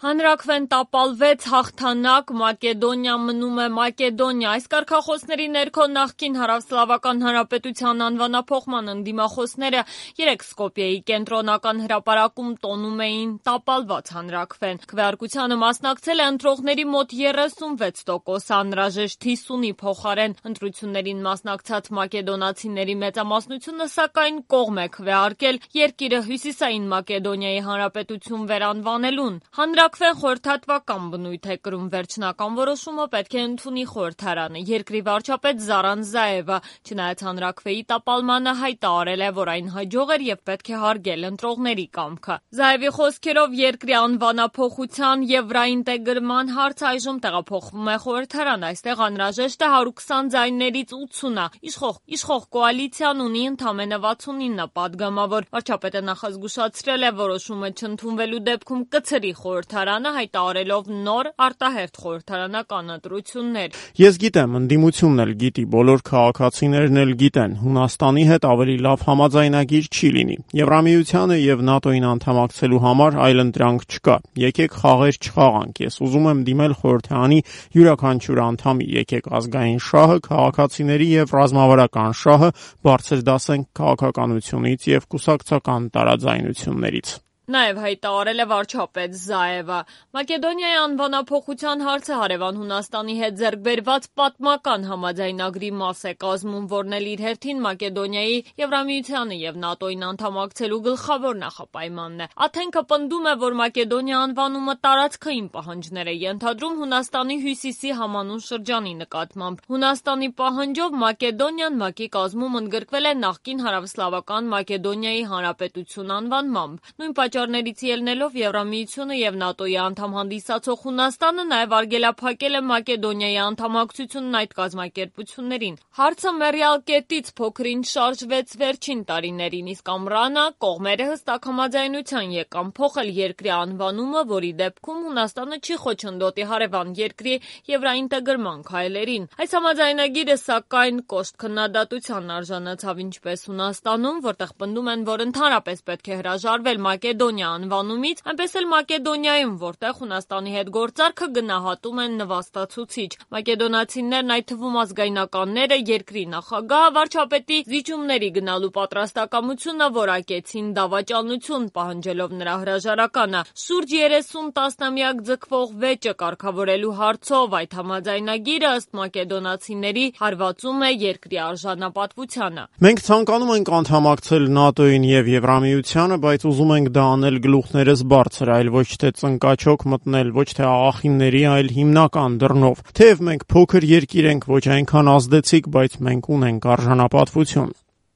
Հանրաքվեն տապալվեց, հաղթանակ, Մակեդոնիա մնում է Մակեդոնիա։ Այս կարգախոսների ներքո նախկին Հարավսլավական Հանրապետության անվանափոխման ընդդիմախոսները երեկ Սկոպիեի կենտրոնական հրապարակում տոնում էին տապալված հանրաքվեն։ Քվեարկությանը մասնակցել է ընտրողների մոտ 36%, անհրաժեշտ 50-ի փոխարեն։ Ընտրություններին մասնակցած մակեդոնացիների մեծամասնությունը սակայն կողմ է քվեարկել երկիրը Հյուսիսային Մակեդոնիայի Հանրապետություն վերանվանելուն։ Հանրաքվեն խորհրդատվական բնույթ է կրում, վերջնական որոշումը պետք է ընդունի խորհրդարանը։ Երկրի վարչապետ Զարան Զաևը, չնայած հանրաքվեի տապալմանը, հայտարարել է, որ այն հաջող էր եւ պետք է հարգել ընտրողների կամքը։ Զաևի խոսքերով երկրի անվանափոխության եւ ռաինտեգրման հարցը այժմ տեղափոխվում է խորհրդարան։ Այստեղ անհրաժեշտ է 120 ձայներից 80-ը։ Իշխող կոալիցիան ունի ընդամենը 69 պատգամավոր։ Վարչապետը նախազգուշացրել է, որոշումը չընդունվելու դեպքում կցրի խորհրդարանը, հայտարարելով նոր արտահերթ խորհրդարանական ընտրություններ։ Ես գիտեմ, ընդդիմությունն էլ գիտի, բոլոր քաղաքացիներն էլ գիտեն, Հունաստանի հետ ավելի լավ համաձայնագիր չի լինի։ Եվրամիությանը եւ ՆԱՏՕ-ին անդամակցելու համար այլ ընտրանք չկա։ Եկեք խաղեր չխաղանք։ Ես ուզում եմ դիմել խորհրդարանի յուրաքանչյուր անդամի։ Եկեք ազգային շահը, քաղաքացիների եւ ռազմավարական շահը բարձր դասենք քաղաքականությունից եւ կուսակցական տարաձայնություններից։ Նաև հայտարարել է վարչապետ Զաևը։ Մակեդոնիայի անվանափոխության հարցը հարևան Հունաստանի հետ ձեռք բերված պատմական համաձայնագրի մաս է կազմում, որն էլ իր հերթին Մակեդոնիայի Եվրամիությանը եւ ՆԱՏՕ-ին անդամակցելու գլխավոր նախապայմանն է։ Աթենքը պնդում է, որ Մակեդոնիա անվանումը տարածքային պահանջներ է ենթադրում Հունաստանի հյուսիսի համանուն շրջանի նկատմամբ։ Հունաստանի պահանջով Մակեդոնիան ՄԱԿ-ի կազմում ընդգրկվել է նախկին Հարավսլավական Մակեդոնիայի Հանրապետություն անվանմամբ։ Նույն պատճառներից ելնելով Եվրամիությունը եւ ՆԱՏՕ-ի անդամ հանդիսացող Հունաստանը նաև արգելափակել է Մակեդոնիայի անդամակցությունն այդ կազմակերպություններին։ Հարցը մեռյալ կետից փոքր-ինչ շարժվեց վերջին տարիներին, իսկ ամռանը կողմերը հստակ համաձայնության եկան փոխել երկրի անվանումը, որի դեպքում Հունաստանը չի խոչընդոտի հարևան երկրի եվրաինտեգրման քայլերին։ Այս համաձայնագիրը սակայն կոշտ քննադատության արժանացավ ինչպես Հունաստանում, որտեղ պնդում են, որ ընդհանրապես պետք է հրաժարվել Մակեդոնիա անվանումից, այնպես էլ Մակեդոնիայում, որտեղ Հունաստանի հետ գործարքը գնահատում են նվաստացուցիչ։ Մակեդոնացիներն, այդ թվում ազգայնականները, երկրի նախագահը վարչապետի զիջումների գնալու պատրաստակամությունը որակեցին դավաճանություն, պահանջելով նրա հրաժարականը։ Շուրջ 30 տասնամյակ ձգվող վեճը կարգավորելու հարցով այդ համաձայնագիրը ըստ մակեդոնացիների հարվածում է երկրի արժանապատվությանը։ Մենք ցանկանում ենք անդամակցել ՆԱՏՕ-ին եւ Եվրամիությանը, բայց ուզում ենք դա անել գլուխներս բարձր, այլ ոչ թե ծնկաչոք մտնել, ոչ թե աղախինների, այլ հիմնական դռնով։ Թեև մենք փոքր երկիր ենք, ոչ այնքան ազդեցիկ, բայց մենք ունենք արժանապատվություն։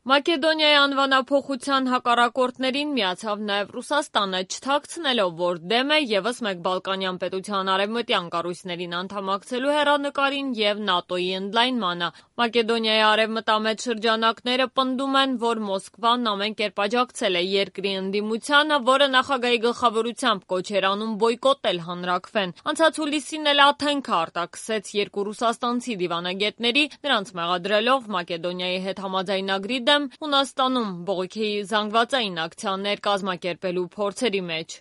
Մակեդոնիայի անվանափոխության հակառակորդներին միացավ նաև Ռուսաստանը, չթաքցնելով, որ դեմ է ևս մեկ Բալկանյան պետության արևմտյան կառույցներին անդամակցելու հեռանկարին եւ ՆԱՏՕ-ի ընդլայնմանը։ Մակեդոնիայի արևմտամետ շրջանակները պնդում են, որ Մոսկվան ամեն կերպ աջակցել է երկրի ընդդիմությանը, որը նախագահի գլխավորությամբ կոչ էր անում բոյկոտել հանրաքվեն։ Անցած հուլիսին էլ Աթենքը արտաքսեց երկու ռուսաստանցի դիվանագետների, նրանց մեղադրելով Մակեդոնիայի հետ համաձայնագրի դեմ Հունաստանում բողոքի զանգվածային ակցիաներ կազմակերպելու փորձերի մեջ։